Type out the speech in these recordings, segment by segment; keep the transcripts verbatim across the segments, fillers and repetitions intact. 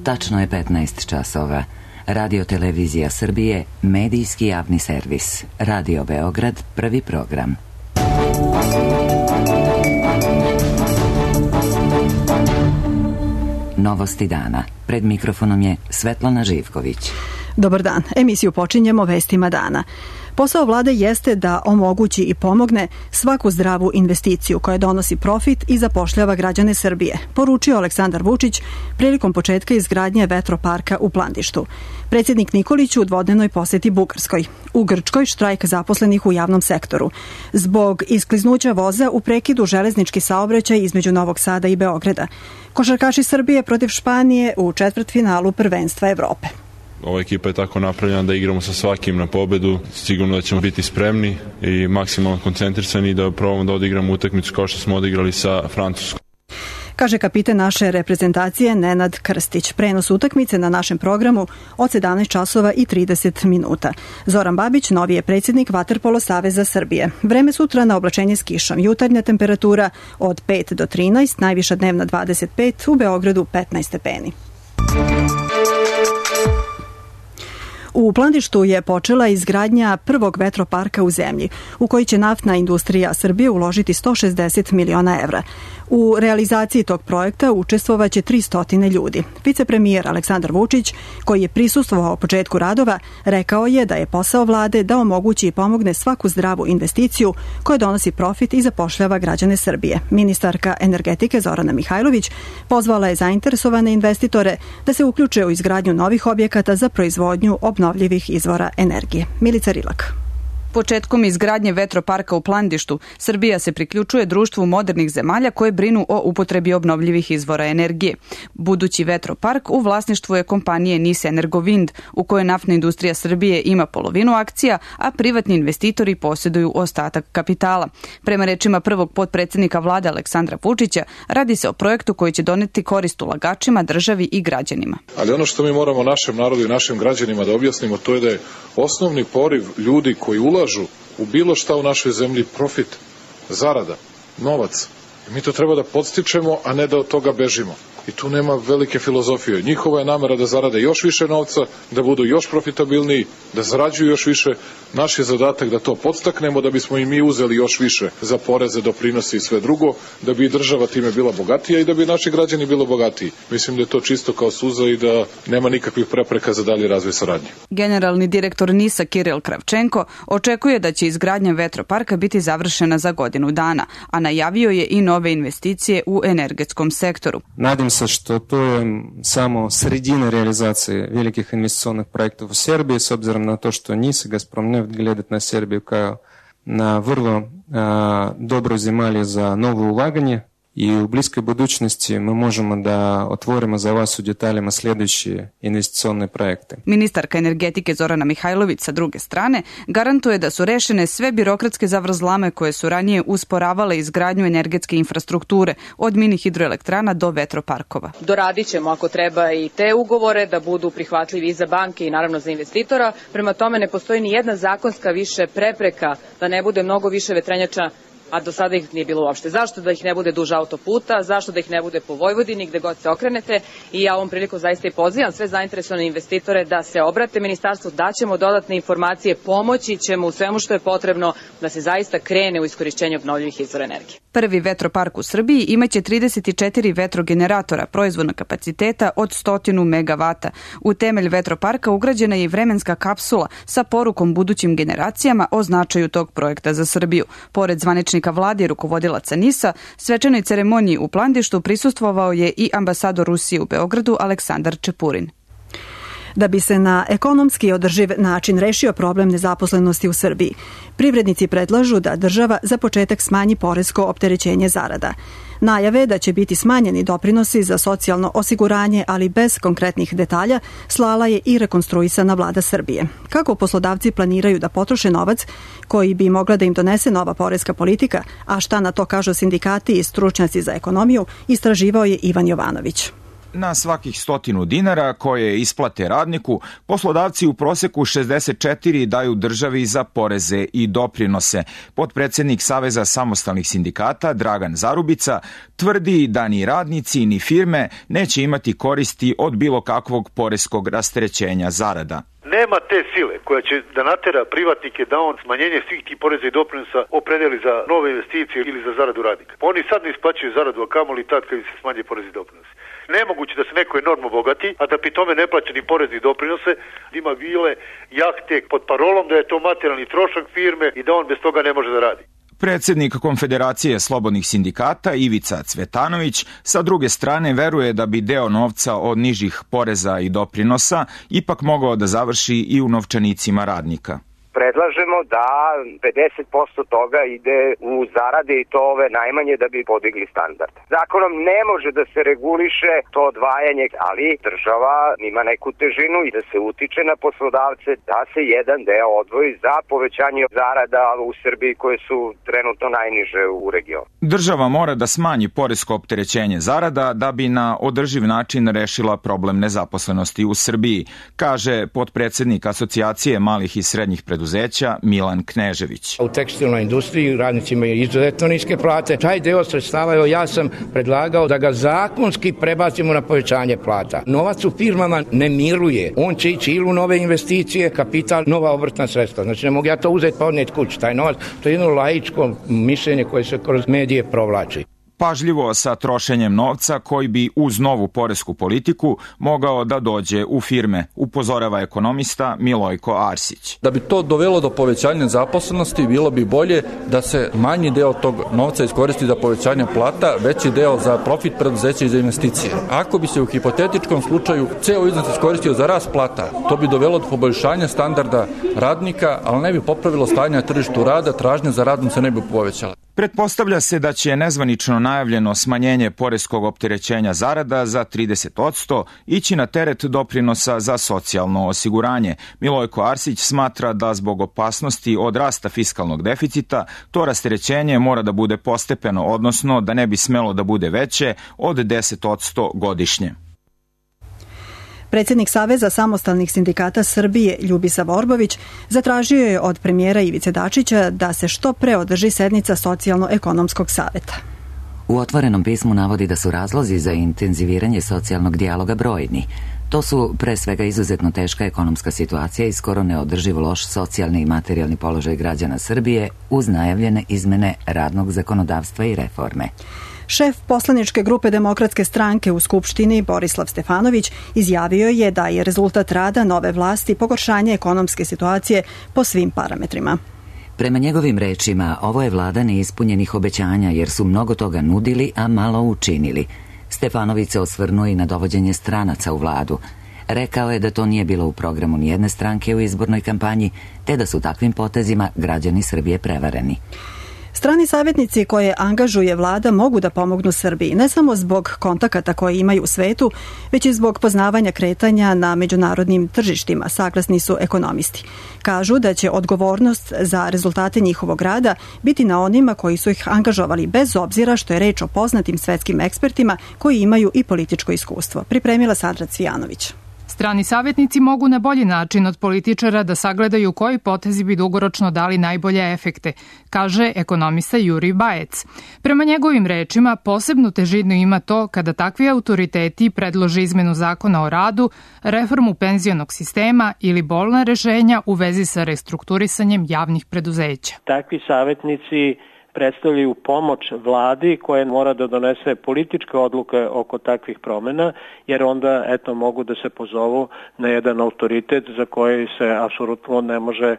Tačno je petnaest časova. Radio Televizija Srbije, medijski javni servis. Radio Beograd, prvi program. Novosti dana. Pred mikrofonom je Svetlana Živković. Dobar dan. Emisiju počinjemo vestima dana. Posao vlade jeste da omogući i pomogne svaku zdravu investiciju koja donosi profit i zapošljava građane Srbije, poručio Aleksandar Vučić prilikom početka izgradnje vetroparka u Plandištu. Predsjednik Nikolić u dvodnevnoj poseti Bugarskoj. U Grčkoj štrajk zaposlenih u javnom sektoru. Zbog iskliznuća voza u prekidu železnički saobraćaj između Novog Sada i Beograda. Košarkaši Srbije protiv Španije u četvrtfinalu prvenstva Evrope. Ova ekipa je tako napravljena da igramo sa svakim na pobedu. Sigurno da ćemo biti spremni i maksimalno koncentrisani i da probamo da odigramo utakmicu kao što smo odigrali sa Francuskom. Kaže kapiten naše reprezentacije Nenad Krstić. Prenos utakmice na našem programu od sedamnaest časova i trideset minuta. Zoran Babić, novi je predsjednik Vaterpolo saveza Srbije. Vreme sutra na oblačenje s kišom. Jutarnja temperatura od pet do trinaest, najviša dnevna dvadeset pet, u Beogradu petnaest stepeni. U Plandištu je počela izgradnja prvog vetroparka u zemlji, u koji će naftna industrija Srbije uložiti sto šezdeset miliona evra. U realizaciji tog projekta učestvovaće tristo ljudi. Vicepremijer Aleksandar Vučić, koji je prisustvovao početku radova, rekao je da je posao vlade da omogući i pomogne svaku zdravu investiciju koja donosi profit i zapošljava građane Srbije. Ministarka energetike Zorana Mihajlović pozvala je zainteresovane investitore da se uključe u izgradnju novih objekata za proizvodnju obnovljivih izvora energije. Milica Rilak. Početkom izgradnje vetroparka u Plandištu, Srbija se priključuje društvu modernih zemalja koje brinu o upotrebi obnovljivih izvora energije. Budući vetropark u vlasništvu je kompanije Nis Energovind, u kojoj naftna industrija Srbije ima polovinu akcija, a privatni investitori posjeduju ostatak kapitala. Prema rečima prvog potpredsjednika vlade Aleksandra Vučića, radi se o projektu koji će doneti korist ulagačima, državi i građanima. Ali ono što mi moramo našem narodu i našim građanima da objasnimo, to je da je osnovni poriv ljudi koji ulažu u bilo šta u našoj zemlji profit, zarada, novac. I mi to treba da podstičemo, a ne da od toga bežimo. I tu nema velike filozofije. Njihova je namera da zarade još više novca, da budu još profitabilniji, da zarađuju još više. Naš je zadatak da to podstaknemo, da bismo i mi uzeli još više za poreze, doprinose i sve drugo, da bi država time bila bogatija i da bi naši građani bili bogatiji. Mislim da je to čisto kao suza i da nema nikakvih prepreka za dalji razvoj saradnje. Generalni direktor Nisa Kiril Kravčenko očekuje da će izgradnja vetroparka biti završena za godinu dana, a najavio je i nove investicije u energetskom sektoru. Nadim se što to je samo sredina realizacije velikih investicionih projektov u Srbiji, s obzirom na to što Nis i Gazpromneft gledat na Srbiju kao na vrlo a, dobro zemalje za novo ulaganje. I u bliskoj budućnosti mi možemo da otvorimo za vas u detaljima sljedeće investicione projekte. Ministarka energetike Zorana Mihajlović sa druge strane garantuje da su rešene sve birokratske zavrzlame koje su ranije usporavale izgradnju energetske infrastrukture od mini hidroelektrana do vetroparkova. Doradit ćemo ako treba i te ugovore da budu prihvatljivi i za banke i naravno za investitora. Prema tome ne postoji ni jedna zakonska više prepreka da ne bude mnogo više vetrenjača, a do sada ih nije bilo uopšte. Zašto da ih ne bude duž autoputa, zašto da ih ne bude po Vojvodini, gde god se okrenete, i ja ovom priliku zaista i pozivam sve zainteresovane investitore da se obrate ministarstvu, daćemo dodatne informacije, pomoći ćemo u svemu što je potrebno da se zaista krene u iskorišćenje obnovljivih izvora energije. Prvi vetropark u Srbiji imaće trideset četiri vetrogeneratora proizvodnog kapaciteta od sto megavata. U temelj vetroparka ugrađena je i vremenska kapsula sa porukom budućim generacijama o značaju tog projekta za Srbiju. Pored zvaničnika vlade i rukovodilaca Nisa, svečanoj ceremoniji u Plandištu prisustvovao je i ambasador Rusije u Beogradu Aleksandar Čepurin. Da bi se na ekonomski održiv način rešio problem nezaposlenosti u Srbiji, privrednici predlažu da država za početak smanji poresko opterećenje zarada. Najave da će biti smanjeni doprinosi za socijalno osiguranje, ali bez konkretnih detalja, slala je i rekonstruisana vlada Srbije. Kako poslodavci planiraju da potroše novac koji bi mogla da im donese nova poreska politika, a šta na to kažu sindikati i stručnjaci za ekonomiju, istraživao je Ivan Jovanović. Na svakih stotinu dinara koje isplate radniku, poslodavci u proseku šezdeset četiri daju državi za poreze i doprinose. Potpredsednik Saveza samostalnih sindikata Dragan Zarubica tvrdi da ni radnici ni firme neće imati koristi od bilo kakvog poreskog rasterećenja zarada. Nema te sile koja će da natera privatnike da on smanjenje svih tih poreza i doprinosa opredeli za nove investicije ili za zaradu radnika. Oni sad ne isplaćuju zaradu, a kamoli tad kad se smanje porezi i doprinosi. Nemoguće da se neko enormno bogati, a da pri tome ne plaća ni porezi i doprinose, ima vile, jahte pod parolom da je to materijalni trošak firme i da on bez toga ne može da radi. Predsednik Konfederacije slobodnih sindikata Ivica Cvetanović sa druge strane veruje da bi deo novca od nižih poreza i doprinosa ipak mogao da završi i u novčanicima radnika. Predlažemo da pedeset posto toga ide u zarade i to ove najmanje da bi podigli standard. Zakonom ne može da se reguliše to odvajanje, ali država ima neku težinu i da se utiče na poslodavce da se jedan deo odvoji za povećanje zarada u Srbiji koje su trenutno najniže u regionu. Država mora da smanji poresko opterećenje zarada da bi na održiv način rešila problem nezaposlenosti u Srbiji, kaže potpredsednik Asocijacije malih i srednjih preduzeća Milan Knežević. U tekstilnoj industriji radnici imaju izuzetno niske plate. Taj deo sredstava, evo ja sam predlagao da ga zakonski prebacimo na povećanje plata. Novac u firmama ne miruje. On će ići ili u nove investicije, kapital, nova obrtna sredstva. Znači ne mogu ja to uzeti pa odneti kući. Taj novac, to je jedno laičko mišljenje koje se kroz medije provlači. Pažljivo sa trošenjem novca koji bi uz novu poresku politiku mogao da dođe u firme, upozorava ekonomista Milojko Arsić. Da bi to dovelo do povećanja zaposlenosti, bilo bi bolje da se manji deo tog novca iskoristi za povećanje plata, veći deo za profit preduzeća i za investicije. Ako bi se u hipotetičkom slučaju ceo iznos iskoristio za rast plata, to bi dovelo do poboljšanja standarda radnika, ali ne bi popravilo stanje na tržištu rada, tražnja za radom se ne bi povećala. Pretpostavlja se da će nezvanično najavljeno smanjenje poreskog opterećenja zarada za trideset posto ići na teret doprinosa za socijalno osiguranje. Milojko Arsić smatra da zbog opasnosti od rasta fiskalnog deficita to rasterećenje mora da bude postepeno, odnosno da ne bi smelo da bude veće od deset posto godišnje. Predsednik Saveza samostalnih sindikata Srbije Ljubisa Vorbović zatražio je od premijera Ivice Dačića da se što pre održi sednica Socijalno-ekonomskog saveta. U otvorenom pismu navodi da su razlozi za intenziviranje socijalnog dijaloga brojni. To su pre svega izuzetno teška ekonomska situacija i skoro neodrživ loš socijalni i materijalni položaj građana Srbije uz najavljene izmene radnog zakonodavstva i reforme. Šef poslaničke grupe Demokratske stranke u Skupštini Borislav Stefanović izjavio je da je rezultat rada nove vlasti pogoršanje ekonomske situacije po svim parametrima. Prema njegovim rečima, ovo je vlada neispunjenih obećanja jer su mnogo toga nudili, a malo učinili. Stefanović se osvrnuo i na dovođenje stranaca u vladu. Rekao je da to nije bilo u programu nijedne stranke u izbornoj kampanji, te da su takvim potezima građani Srbije prevareni. Strani savjetnici koje angažuje vlada mogu da pomognu Srbiji, ne samo zbog kontakata koje imaju u svetu, već i zbog poznavanja kretanja na međunarodnim tržištima, saglasni su ekonomisti. Kažu da će odgovornost za rezultate njihovog rada biti na onima koji su ih angažovali, bez obzira što je reč o poznatim svetskim ekspertima koji imaju i političko iskustvo. Pripremila Sandra Cvijanović. Strani savjetnici mogu na bolji način od političara da sagledaju koji potezi bi dugoročno dali najbolje efekte, kaže ekonomista Jurij Bajec. Prema njegovim rečima, posebnu težinu ima to kada takvi autoriteti predlože izmenu zakona o radu, reformu penzionog sistema ili bolna rešenja u vezi sa restrukturisanjem javnih preduzeća. Takvi savjetnici predstavljaju pomoć vladi koja mora da donese političke odluke oko takvih promjena, jer onda eto mogu da se pozovu na jedan autoritet za koji se apsolutno ne može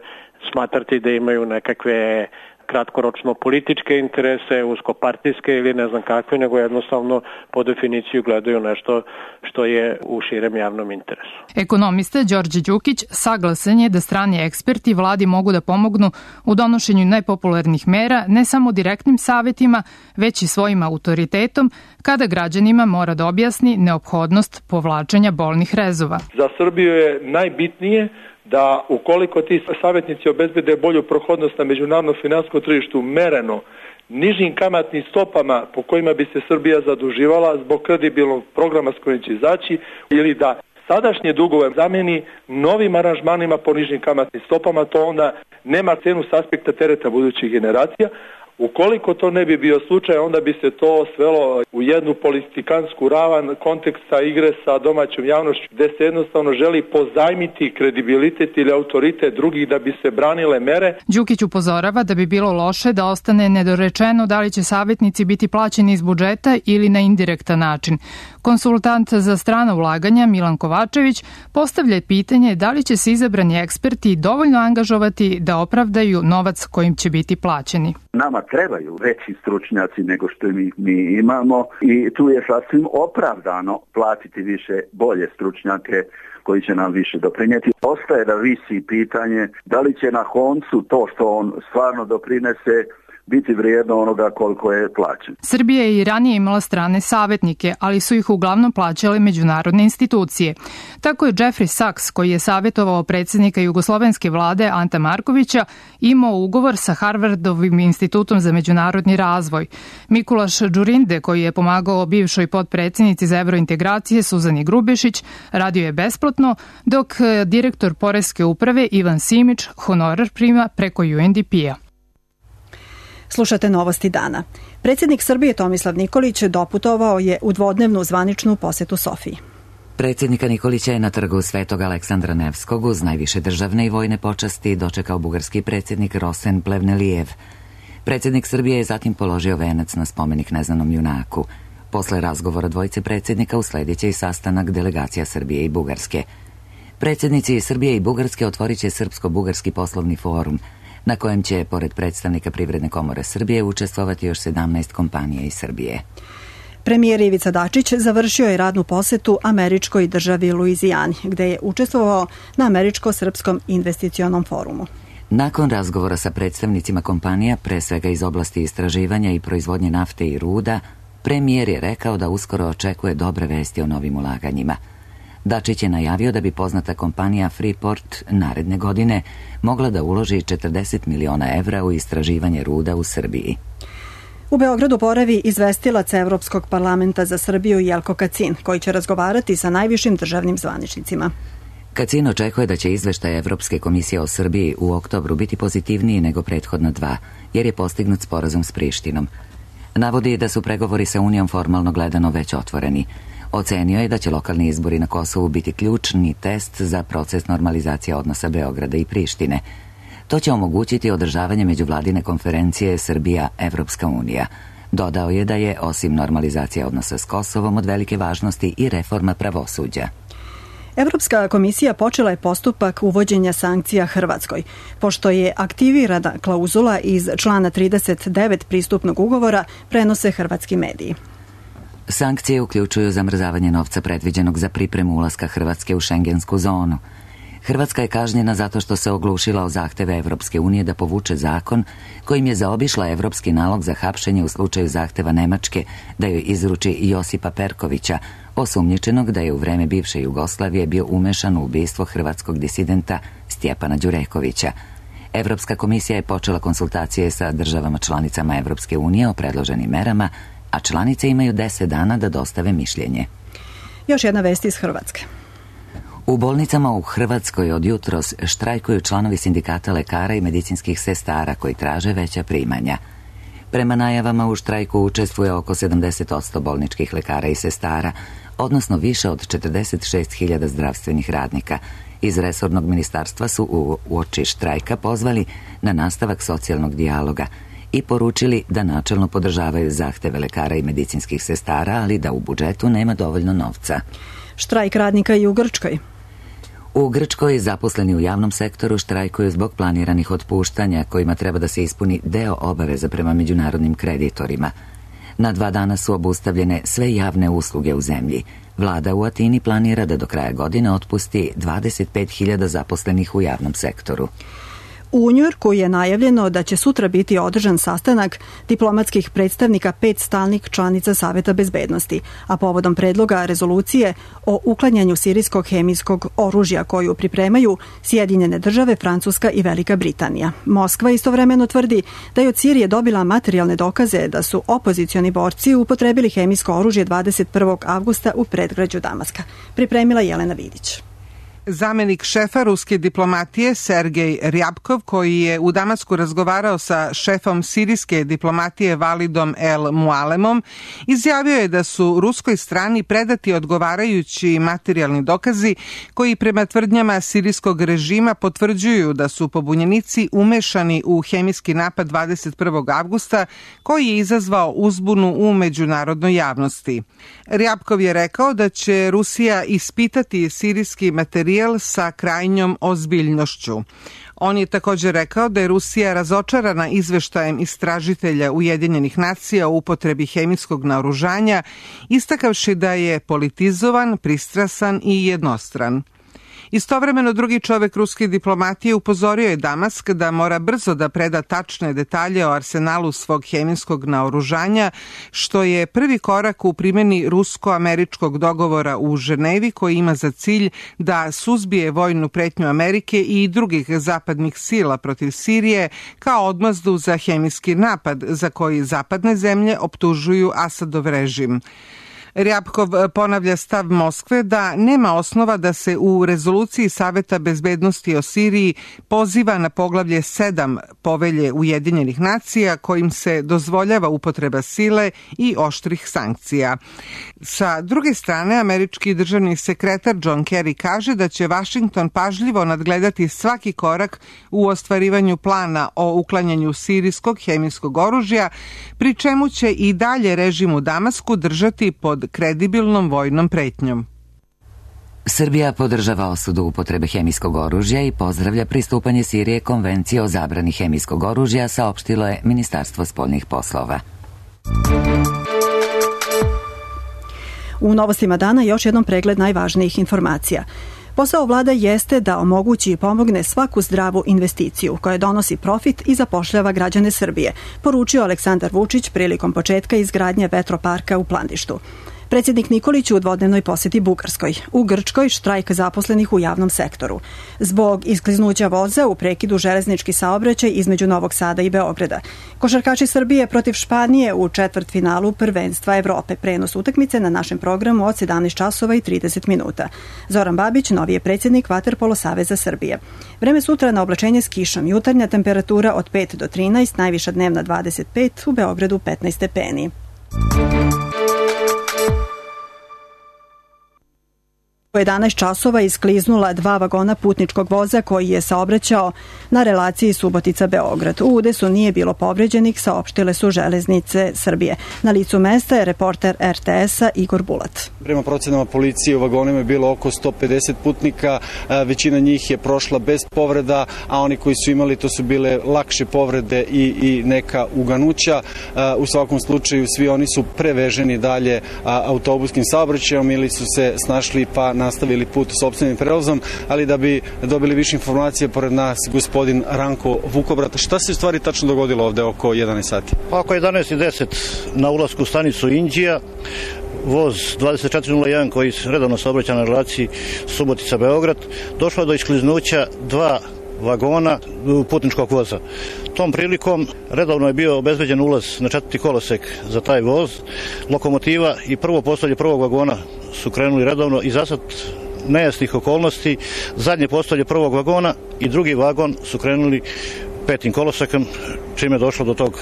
smatrati da imaju nekakve kratkoročno političke interese, uskopartijske ili ne znam kakve, nego jednostavno po definiciju gledaju nešto što je u širem javnom interesu. Ekonomista Đorđe Đukić saglasan je da strani eksperti vladi mogu da pomognu u donošenju nepopularnih mera ne samo direktnim savjetima, već i svojim autoritetom kada građanima mora da objasni neophodnost povlačenja bolnih rezova. Za Srbiju je najbitnije da ukoliko ti savjetnici obezbede bolju prohodnost na međunarodnom finansijskom tržištu mereno, nižim kamatnim stopama po kojima bi se Srbija zaduživala zbog kredibilnog programa s kojim će izaći, ili da sadašnje dugove zameni novim aranžmanima po nižim kamatnim stopama, to onda nema cenu s aspekta tereta budućih generacija. Ukoliko to ne bi bio slučaj, onda bi se to svelo u jednu politikansku ravan konteksta igre sa domaćom javnošću, gde se jednostavno želi pozajmiti kredibilitet ili autoritet drugih da bi se branile mere. Đukić upozorava da bi bilo loše da ostane nedorečeno da li će savjetnici biti plaćeni iz budžeta ili na indirektan način. Konsultant za strana ulaganja Milan Kovačević postavlja pitanje da li će se izabrani eksperti dovoljno angažovati da opravdaju novac kojim će biti plaćeni. Nama trebaju veći stručnjaci nego što mi, mi imamo i tu je sasvim opravdano platiti više bolje stručnjake koji će nam više doprinijeti. Ostaje da visi pitanje da li će na koncu to što on stvarno doprinese biti vrijedno onoga koliko je plaćen. Srbija je i ranije imala strane savjetnike, ali su ih uglavnom plaćale međunarodne institucije. Tako je Jeffrey Sachs, koji je savjetovao predsjednika jugoslovenske vlade Anta Markovića, imao ugovor sa Harvardovim institutom za međunarodni razvoj. Mikulaš Đurinde, koji je pomagao bivšoj potpredsjednici za evrointegracije Suzani Grubešić, radio je besplatno, dok direktor poreske uprave Ivan Simić honorar prima preko U N D P-a. Slušate novosti dana. Predsjednik Srbije Tomislav Nikolić doputovao je u dvodnevnu zvaničnu posetu Sofiji. Predsjednika Nikolića je na trgu Svetog Aleksandra Nevskog uz najviše državne i vojne počasti dočekao bugarski predsjednik Rosen Plevnelijev. Predsjednik Srbije je zatim položio venac na spomenik neznanom junaku. Posle razgovora dvojice predsjednika usledit će i sastanak delegacija Srbije i Bugarske. Predsjednici Srbije i Bugarske otvorit će Srpsko-bugarski poslovni forum, na kojem će, pored predstavnika Privredne komore Srbije, učestvovati još sedamnaest kompanija iz Srbije. Premijer Ivica Dačić završio je radnu posetu američkoj državi Luizijani, gde je učestvovao na Američko-srpskom investicionom forumu. Nakon razgovora sa predstavnicima kompanija, pre svega iz oblasti istraživanja i proizvodnje nafte i ruda, premijer je rekao da uskoro očekuje dobre vesti o novim ulaganjima. Dačić je najavio da bi poznata kompanija Freeport naredne godine mogla da uloži četrdeset miliona evra u istraživanje ruda u Srbiji. U Beogradu boravi izvestilac Evropskog parlamenta za Srbiju Jelko Kacin, koji će razgovarati sa najvišim državnim zvaničnicima. Kacin očekuje da će izveštaj Evropske komisije o Srbiji u oktobru biti pozitivniji nego prethodna dva, jer je postignut sporazum s Prištinom. Navodi da su pregovori sa Unijom formalno gledano već otvoreni. Ocenio je da će lokalni izbori na Kosovu biti ključni test za proces normalizacije odnosa Beograda i Prištine. To će omogućiti održavanje međuvladine konferencije Srbija-Evropska unija. Dodao je da je, osim normalizacije odnosa s Kosovom, od velike važnosti i reforma pravosuđa. Evropska komisija počela je postupak uvođenja sankcija Hrvatskoj, pošto je aktivirana klauzula iz člana trideset devet pristupnog ugovora, prenose hrvatski mediji. Sankcije uključuju zamrzavanje novca predviđenog za pripremu ulaska Hrvatske u šengensku zonu. Hrvatska je kažnjena zato što se oglušila o zahteve Evropske unije da povuče zakon kojim je zaobišla evropski nalog za hapšenje u slučaju zahteva Nemačke da joj izruči Josipa Perkovića, osumnjičenog da je u vreme bivše Jugoslavije bio umešan u ubistvo hrvatskog disidenta Stjepana Đurekovića. Evropska komisija je počela konsultacije sa državama članicama Evropske unije o predloženim merama, a članice imaju deset dana da dostave mišljenje. Još jedna vest iz Hrvatske. U bolnicama u Hrvatskoj od jutros štrajkuju članovi sindikata lekara i medicinskih sestara koji traže veća primanja. Prema najavama u štrajku učestvuje oko sedamdeset posto bolničkih lekara i sestara, odnosno više od četrdeset šest hiljada zdravstvenih radnika. Iz resornog ministarstva su u uoči štrajka pozvali na nastavak socijalnog dijaloga i poručili da načelno podržavaju zahteve lekara i medicinskih sestara, ali da u budžetu nema dovoljno novca. Štrajk radnika i u Grčkoj. U Grčkoj zaposleni u javnom sektoru štrajkuju zbog planiranih otpuštanja kojima treba da se ispuni deo obaveza prema međunarodnim kreditorima. Na dva dana su obustavljene sve javne usluge u zemlji. Vlada u Atini planira da do kraja godine otpusti dvadeset pet hiljada zaposlenih u javnom sektoru. U Njujorku je najavljeno da će sutra biti održan sastanak diplomatskih predstavnika pet stalnih članica Saveta bezbednosti, a povodom predloga rezolucije o uklanjanju sirijskog hemijskog oružja koju pripremaju Sjedinjene države, Francuska i Velika Britanija. Moskva istovremeno tvrdi da je od Sirije dobila materijalne dokaze da su opozicioni borci upotrebili hemijsko oružje dvadeset prvog avgusta u predgrađu Damaska. Pripremila Jelena Vidić. Zamenik šefa ruske diplomatije Sergej Rjabkov, koji je u Damasku razgovarao sa šefom sirijske diplomatije Validom El Mualemom, izjavio je da su ruskoj strani predati odgovarajući materijalni dokazi koji prema tvrdnjama sirijskog režima potvrđuju da su pobunjenici umešani u hemijski napad dvadeset prvog avgusta koji je izazvao uzbunu u međunarodnoj javnosti. Rjabkov je rekao da će Rusija ispitati sirijski materijal sa krajnjom ozbiljnošću. On je također rekao da je Rusija razočarana izveštajem istražitelja Ujedinjenih nacija o upotrebi hemijskog naoružanja, istakavši da je politizovan, pristrasan i jednostran. Istovremeno drugi čovek ruske diplomatije upozorio je Damask da mora brzo da preda tačne detalje o arsenalu svog hemijskog naoružanja, što je prvi korak u primjeni rusko-američkog dogovora u Ženevi koji ima za cilj da suzbije vojnu pretnju Amerike i drugih zapadnih sila protiv Sirije kao odmazdu za hemijski napad za koji zapadne zemlje optužuju Asadov režim. Rjabkov ponavlja stav Moskve da nema osnova da se u rezoluciji Saveta bezbednosti o Siriji poziva na poglavlje sedam povelje Ujedinjenih nacija kojim se dozvoljava upotreba sile i oštrih sankcija. Sa druge strane, američki državni sekretar John Kerry kaže da će Vašington pažljivo nadgledati svaki korak u ostvarivanju plana o uklanjanju sirijskog hemijskog oružja, pri čemu će i dalje režim u Damasku držati pod kredibilnom vojnom pretnjom. Srbija podržava osudu upotrebe hemijskog oružja i pozdravlja pristupanje Sirije Konvenciji o zabrani hemijskog oružja, saopštilo je Ministarstvo spoljnih poslova. U novostima dana još jednom pregled najvažnijih informacija. Posao vlada jeste da omogući i pomogne svaku zdravu investiciju koja donosi profit i zapošljava građane Srbije, poručio Aleksandar Vučić prilikom početka izgradnje vetroparka u Plandištu. Predsjednik Nikolić u dvodnevnoj posjeti Bugarskoj. U Grčkoj štrajk zaposlenih u javnom sektoru. Zbog iskliznuća voza u prekidu železnički saobraćaj između Novog Sada i Beograda. Košarkaši Srbije protiv Španije u četvrtfinalu prvenstva Evrope. Prenos utakmice na našem programu od sedamnaest časova i trideset minuta. Zoran Babić, novi je predsjednik Vaterpolo saveza Srbije. Vreme sutra na oblačenje s kišom. Jutarnja temperatura od pet do trinaest, najviša dnevna dvadeset pet, u Beogradu petnaest stepeni. U jedanaest časova iskliznula dva vagona putničkog voza koji je saobraćao na relaciji Subotica-Beograd. U udesu nije bilo povređenih, saopštile su Železnice Srbije. Na licu mesta je reporter er te esa Igor Bulat. Prema procenama policije u vagonima je bilo oko sto pedeset putnika, većina njih je prošla bez povreda, a oni koji su imali to su bile lakše povrede i, i neka uganuća. U svakom slučaju svi oni su preveženi dalje autobuskim saobraćajem ili su se snašli pa nastavili put sopstvenim prevozom, ali da bi dobili više informacije, pored nas gospodin Ranko Vukobrat. Šta se u stvari tačno dogodilo ovde oko jedanaest sati? Oko jedanaest i deset na ulasku u stanicu Inđija, voz dvadeset četiri nula jedan koji redovno saobraća na relaciji Subotica-Beograd, došlo do iskliznuća dva vagona putničkog voza. Tom prilikom redovno je bio obezbeđen ulaz na četvrti kolosek za taj voz. Lokomotiva i prvo postolje prvog vagona su krenuli redovno i zasad nejasnih okolnosti. Zadnje postolje prvog vagona i drugi vagon su krenuli petim kolosekom, čime je došlo do tog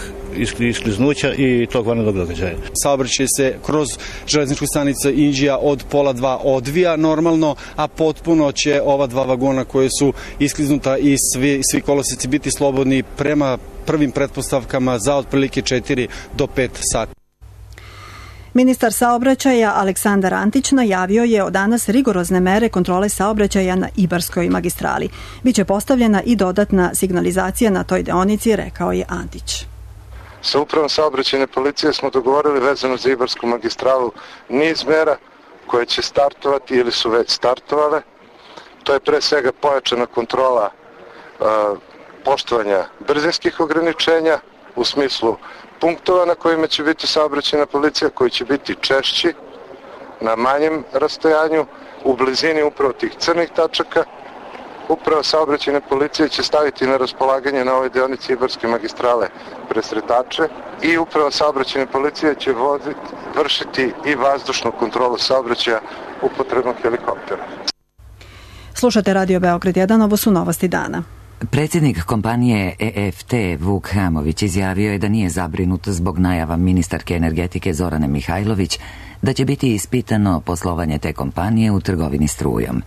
iskliznuća i tog vanrednog događaja. Saobraćaj se kroz železničku stanicu Inđija od pola dva odvija normalno, a potpuno će ova dva vagona koje su iskliznuta i svi, svi koloseci biti slobodni prema prvim pretpostavkama za otprilike četiri do pet sati. Ministar saobraćaja Aleksandar Antić najavio je od danas rigorozne mere kontrole saobraćaja na Ibarskoj magistrali. Biće postavljena i dodatna signalizacija na toj deonici, rekao je Antić. Sa upravom saobraćajne policije smo dogovorili vezano za Ibarsku magistralu niz mera koje će startovati ili su već startovale. To je pre svega pojačana kontrola uh, poštovanja brzinskih ograničenja u smislu punktova na kojima će biti saobraćajna policija, koji će biti češći na manjem rastojanju, u blizini upravo tih crnih tačaka. Upravo saobraćajne policije će staviti na raspolaganje na ovoj deonici Ibarske magistrale presretače i upravo saobraćajne policije će voziti, vršiti i vazdušnu kontrolu saobraćaja upotrebom helikoptera. Slušate Radio Beograd jedan, ovo su novosti dana. Predsjednik kompanije E F T Vuk Hamović izjavio je da nije zabrinut zbog najava ministarke energetike Zorane Mihajlović da će biti ispitano poslovanje te kompanije u trgovini strujom.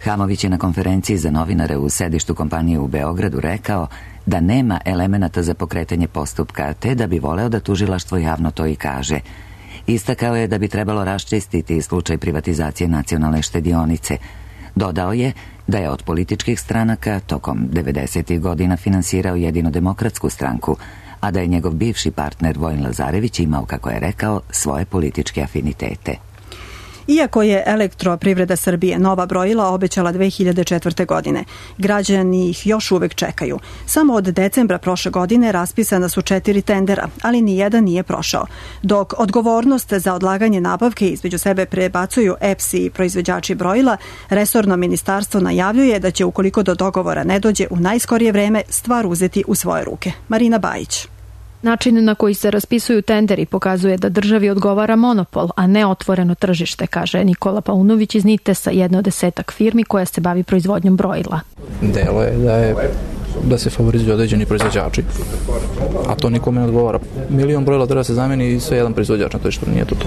Hamović je na konferenciji za novinare u sedištu kompanije u Beogradu rekao da nema elemenata za pokretanje postupka, te da bi voleo da tužilaštvo javno to i kaže. Istakao je da bi trebalo raščistiti slučaj privatizacije Nacionalne štedionice. Dodao je da je od političkih stranaka tokom devedesetih godina finansirao jedino Demokratsku stranku, a da je njegov bivši partner Vojin Lazarević imao, kako je rekao, svoje političke afinitete. Iako je Elektroprivreda Srbije nova brojila obećala dve hiljade četvrte. godine, građani ih još uvek čekaju. Samo od decembra prošle godine raspisana su četiri tendera, ali ni jedan nije prošao. Dok odgovornost za odlaganje nabavke između sebe prebacuju E P S i proizvođači brojila, resorno ministarstvo najavljuje da će, ukoliko do dogovora ne dođe u najskorije vreme, stvar uzeti u svoje ruke. Marina Bajić. Način na koji se raspisuju tenderi pokazuje da državi odgovara monopol, a ne otvoreno tržište, kaže Nikola Paunović iz Nitesa, jedna od desetak firmi koja se bavi proizvodnjom brojila. Delo je da, je da se favorizuju određeni proizvođači, a to nikome ne odgovara. Milion brojila treba se zameni i sve jedan proizvođač, na to što nije to to.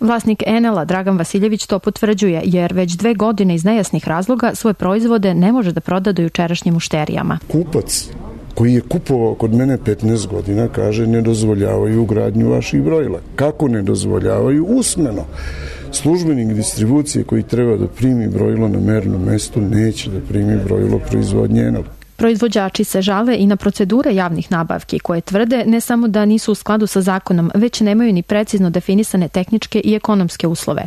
Vlasnik Enela, Dragan Vasiljević, to potvrđuje, jer već dve godine iz nejasnih razloga svoje proizvode ne može da proda do jučerašnjim mušterijama. Kupac koji je kupovao kod mene petnaest godina, kaže ne dozvoljavaju ugradnju vaših brojila. Kako ne dozvoljavaju? Usmeno. Službenik distribucije koji treba da primi brojilo na mernom mestu neće da primi brojilo proizvodnje Enela. Proizvođači se žale i na procedure javnih nabavki koje tvrde ne samo da nisu u skladu sa zakonom, već nemaju ni precizno definisane tehničke i ekonomske uslove.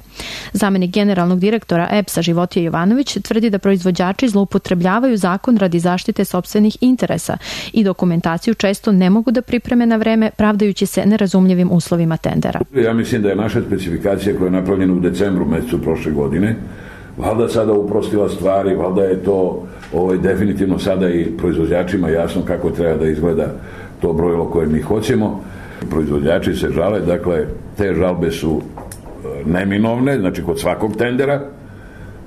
Zamenik generalnog direktora E P S-a Životije Jovanović tvrdi da proizvođači zloupotrebljavaju zakon radi zaštite sopstvenih interesa i dokumentaciju često ne mogu da pripreme na vreme, pravdajući se nerazumljivim uslovima tendera. Ja mislim da je naša specifikacija koja je napravljena u decembru mesecu prošle godine valjda sada uprostila stvari, valjda je to ovaj, definitivno sada i proizvođačima jasno kako treba da izgleda to brojilo koje mi hoćemo. Proizvođači se žale, dakle, te žalbe su neminovne, znači kod svakog tendera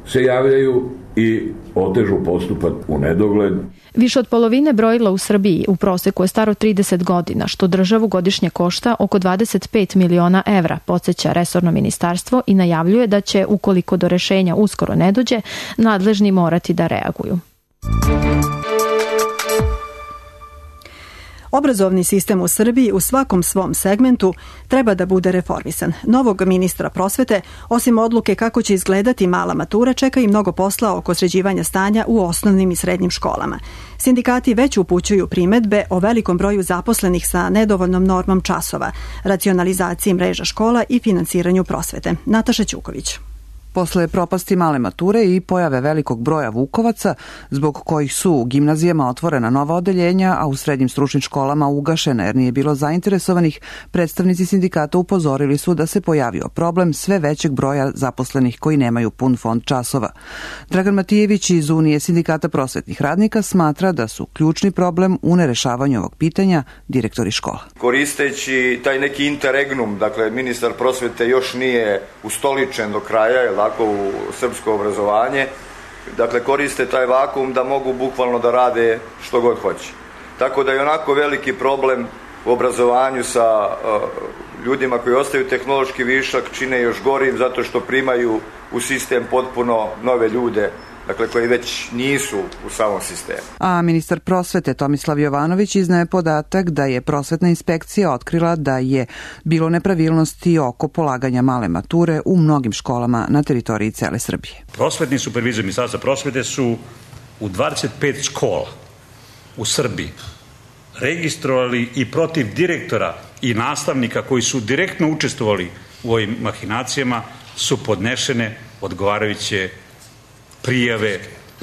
se javljaju i otežu postupak u nedogled. Više od polovine brojila u Srbiji u proseku je staro trideset godina, što državu godišnje košta oko dvadeset pet miliona evra, podsjeća resorno ministarstvo i najavljuje da će, ukoliko do rešenja uskoro ne dođe, nadležni morati da reaguju. Obrazovni sistem u Srbiji u svakom svom segmentu treba da bude reformisan. Novog ministra prosvete, osim odluke kako će izgledati mala matura, čeka i mnogo posla oko sređivanja stanja u osnovnim i srednjim školama. Sindikati već upućuju primedbe o velikom broju zaposlenih sa nedovoljnom normom časova, racionalizaciji mreža škola i finansiranju prosvete. Nataša Ćuković. Posle propasti male mature i pojave velikog broja vukovaca, zbog kojih su u gimnazijama otvorena nova odeljenja, a u srednjim stručnim školama ugašena jer nije bilo zainteresovanih, predstavnici sindikata upozorili su da se pojavio problem sve većeg broja zaposlenih koji nemaju pun fond časova. Dragan Matijević iz Unije sindikata prosvetnih radnika smatra da su ključni problem u nerešavanju ovog pitanja direktori škola. Koristeći taj neki interregnum, dakle ministar prosvete još nije ustoličen do kraja, tako u srpsko obrazovanje, dakle koriste taj vakum da mogu bukvalno da rade što god hoće. Tako da je onako veliki problem u obrazovanju sa uh, ljudima koji ostaju tehnološki višak, čine još gorim zato što primaju u sistem potpuno nove ljude, dakle koji već nisu u samom sistemu. A ministar prosvete Tomislav Jovanović iznaje podatak da je prosvetna inspekcija otkrila da je bilo nepravilnosti oko polaganja male mature u mnogim školama na teritoriji cele Srbije. Prosvetni supervizor Ministarstva prosvete su u dvadeset pet škola u Srbiji registrovali i protiv direktora i nastavnika koji su direktno učestvovali u ovim mahinacijama su podnešene odgovarajuće prijave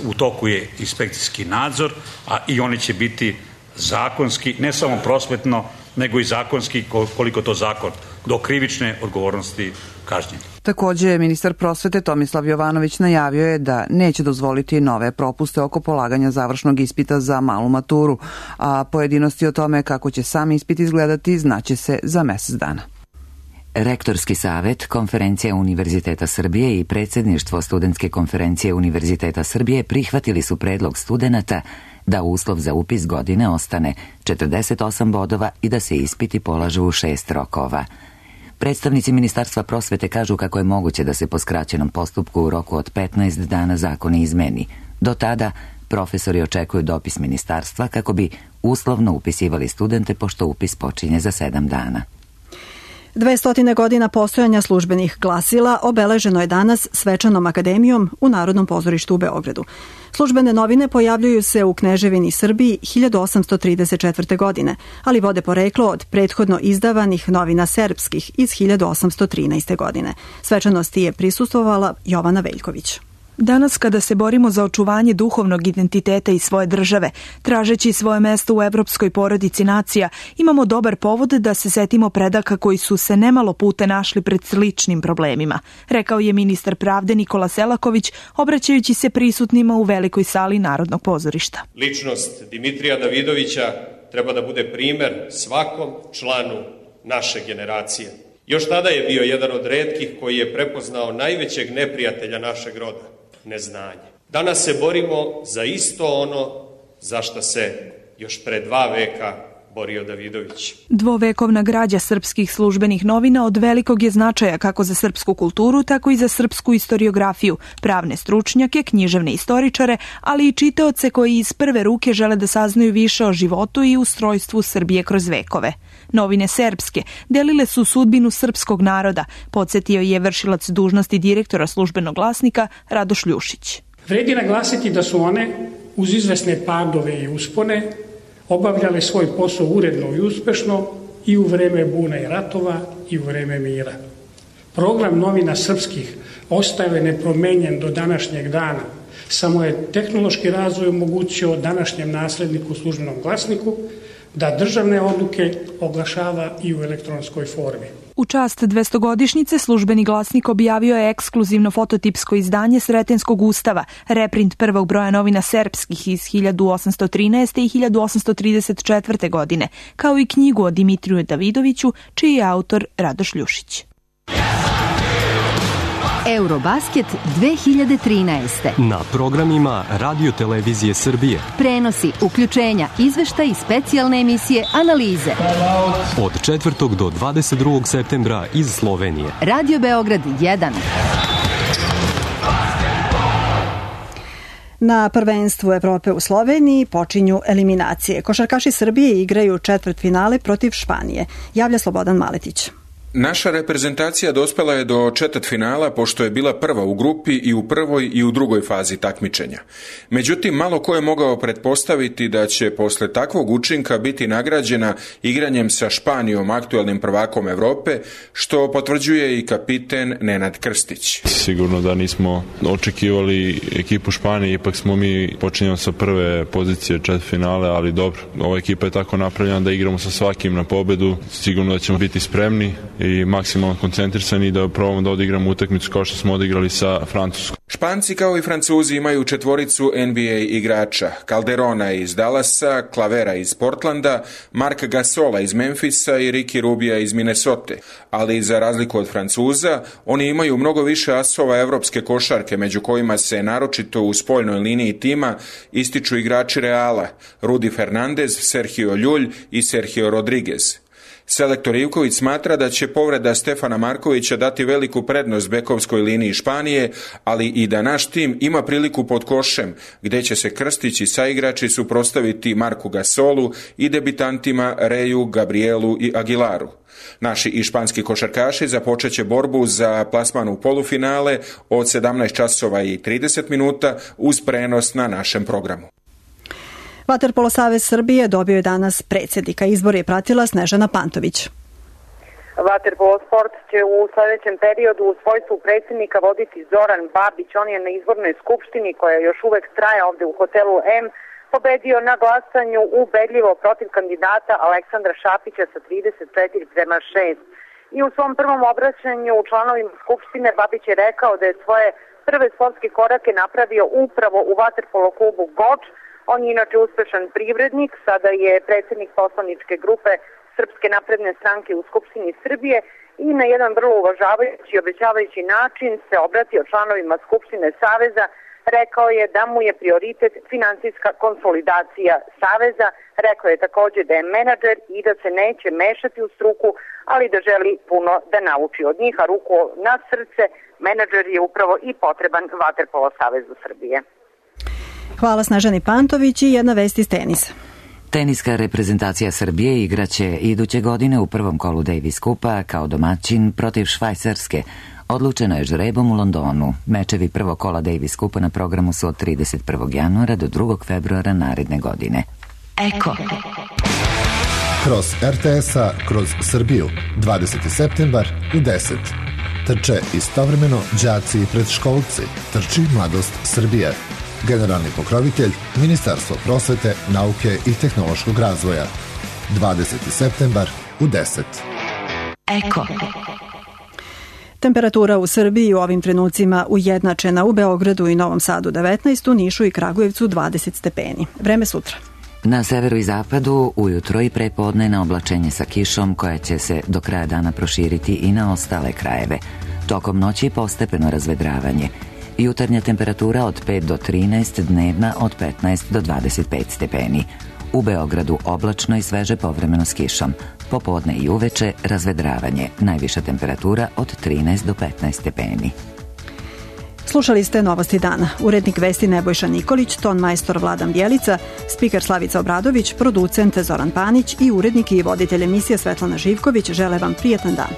U toku je inspekcijski nadzor, a i oni će biti zakonski, ne samo prosvetno, nego i zakonski, koliko to zakon, do krivične odgovornosti kažnjeni. Takođe, ministar prosvete Tomislav Jovanović najavio je da neće dozvoliti nove propuste oko polaganja završnog ispita za malu maturu, a pojedinosti o tome kako će sam ispit izgledati znaće se za mesec dana. Rektorski savet, Konferencija Univerziteta Srbije i predsjedništvo Studentske konferencije Univerziteta Srbije prihvatili su predlog studenata da uslov za upis godine ostane četrdeset osam bodova i da se ispiti polažu u šest rokova. Predstavnici Ministarstva prosvete kažu kako je moguće da se po skraćenom postupku u roku od petnaest dana zakon izmeni. Do tada profesori očekuju dopis ministarstva kako bi uslovno upisivali studente pošto upis počinje za sedam dana. Dvestotine godina postojanja službenih glasila obeleženo je danas svečanom akademijom u Narodnom pozorištu u Beogradu. Službene novine pojavljuju se u Kneževini Srbiji hiljadu osamsto trideset četvrte. godine, ali vode poreklo od prethodno izdavanih novina serbskih iz hiljadu osamsto trinaeste. godine. Svečanosti je prisustvovala Jovana Veljković. Danas kada se borimo za očuvanje duhovnog identiteta i svoje države, tražeći svoje mesto u evropskoj porodici nacija, imamo dobar povod da se setimo predaka koji su se nemalo puta našli pred sličnim problemima, rekao je ministar pravde Nikola Selaković, obraćajući se prisutnima u velikoj sali Narodnog pozorišta. Ličnost Dimitrija Davidovića treba da bude primer svakom članu naše generacije. Još tada je bio jedan od retkih koji je prepoznao najvećeg neprijatelja našeg roda, neznanje. Danas se borimo za isto ono za što se još pre dva veka borio Davidović. Dvovekovna građa srpskih službenih novina od velikog je značaja kako za srpsku kulturu, tako i za srpsku istoriografiju, pravne stručnjake, književne istoričare, ali i čitaoce koji iz prve ruke žele da saznaju više o životu i ustrojstvu Srbije kroz vekove. Novine serbske delile su sudbinu srpskog naroda, podsjetio je vršilac dužnosti direktora Službenog glasnika Radoš Ljušić. Vredi naglasiti da su one, uz izvesne padove i uspone, obavljale svoj posao uredno i uspešno i u vreme buna i ratova i u vreme mira. Program novina srpskih ostao je nepromenjen do današnjeg dana, samo je tehnološki razvoj omogućio današnjem nasledniku Službenom glasniku da državne odluke oglašava i u elektronskoj formi. U čast dvestogodišnjice Službeni glasnik objavio je ekskluzivno fototipsko izdanje Sretenskog ustava, reprint prvog broja novina serbskih iz hiljadu osamsto trinaeste. i hiljadu osamsto trideset četvrte. godine, kao i knjigu o Dimitriju Davidoviću, čiji je autor Radoš Ljušić. Eurobasket dve hiljade trinaeste. Na programima Radio Televizije Srbije. Prenosi, uključenja, izvešta i specijalne emisije, analize. Od četvrtog do dvadeset drugog septembra iz Slovenije. Radio Beograd jedan. Na prvenstvu Evrope u Sloveniji počinju eliminacije. Košarkaši Srbije igraju četvrtfinale protiv Španije. Javlja Slobodan Maletić. Naša reprezentacija dospela je do četvrtfinala pošto je bila prva u grupi i u prvoj i u drugoj fazi takmičenja. Međutim, malo ko je mogao pretpostaviti da će posle takvog učinka biti nagrađena igranjem sa Španijom, aktuelnim prvakom Evrope, što potvrđuje i kapiten Nenad Krstić. Sigurno da nismo očekivali ekipu Španije, ipak smo mi počinjali sa prve pozicije četvrtfinale, ali dobro, ova ekipa je tako napravljena da igramo sa svakim na pobedu, sigurno da ćemo biti spremni i maksimalno koncentrisani da probamo da odigramo utakmicu kao što smo odigrali sa Francuskom. Španci kao i Francuzi imaju četvoricu N B A igrača, Calderona iz Dallasa, Clavera iz Portlanda, Marka Gasola iz Memfisa i Ricky Rubija iz Minnesota, ali za razliku od Francuza, oni imaju mnogo više asova evropske košarke, među kojima se naročito u spoljnoj liniji tima ističu igrači Reala, Rudi Fernandez, Sergio Ljulj i Sergio Rodriguez. Selektor Ivković smatra da će povreda Stefana Markovića dati veliku prednost bekovskoj liniji Španije, ali i da naš tim ima priliku pod košem, gde će se Krstić i saigrači suprotstaviti Marku Gasolu i debitantima Reju, Gabrielu i Aguilaru. Naši i španski košarkaši započeće borbu za plasman u polufinale od sedamnaest časova i trideset minuta uz prenos na našem programu. Vaterpolo savez Srbije dobio je danas predsjednika. Izbor je pratila Snežana Pantović. Vaterpolo sport će u sledećem periodu u svojstvu predsjednika voditi Zoran Babić. On je na izbornoj skupštini, koja još uvek traje ovde u hotelu M, pobedio na glasanju ubedljivo protiv kandidata Aleksandra Šapića sa trideset četiri prema šest. I u svom prvom obraćanju u članovima skupštine Babić je rekao da je svoje prve sportske korake napravio upravo u vaterpolo klubu Goč. On je inače uspešan privrednik, sada je predsjednik poslaničke grupe Srpske napredne stranke u Skupštini Srbije i na jedan vrlo uvažavajući i obećavajući način se obratio članovima Skupštine Saveza. Rekao je da mu je prioritet finansijska konsolidacija Saveza. Rekao je također da je menadžer i da se neće mešati u struku, ali da želi puno da nauči od njih, a ruku na srce, menadžer je upravo i potreban Vaterpolo Savezu Srbije. Hvala Snežani Pantović i jedna vest iz tenisa. Teniska reprezentacija Srbije igraće iduće godine u prvom kolu Davis Kupa kao domaćin protiv Švajcarske. Odlučeno je žrebom u Londonu. Mečevi prvog kola Davis Kupa na programu su od trideset prvog januara do drugog februara naredne godine. Eko. Kroz er te es-a, kroz Srbiju, dvadeseti septembar u deset. Trče istovremeno đaci i predškolci. Trči Mladost Srbije. Generalni pokrovitelj Ministarstvo prosvete, nauke i tehnološkog razvoja. dvadeseti septembar u deset. Eko. Temperatura u Srbiji u ovim trenucima ujednačena, u Beogradu i Novom Sadu devetnaest, u Nišu i Kragujevcu dvadeset stepeni. Vreme sutra. Na severu i zapadu ujutro i prepodne na oblačenje sa kišom koja će se do kraja dana proširiti i na ostale krajeve. Tokom noći postepeno razvedravanje. Jutarnja temperatura od pet do trinaest, dnevna od petnaest do dvadeset pet stepeni. U Beogradu oblačno i sveže povremeno s kišom. Popodne i uveče razvedravanje. Najviša temperatura od trinaest do petnaest stepeni. Slušali ste Novosti dana. Urednik vesti Nebojša Nikolić, ton majstor Vladan Bjelica, spiker Slavica Obradović, producent Zoran Panić i urednik i voditelj emisije Svetlana Živković žele vam prijetan dan.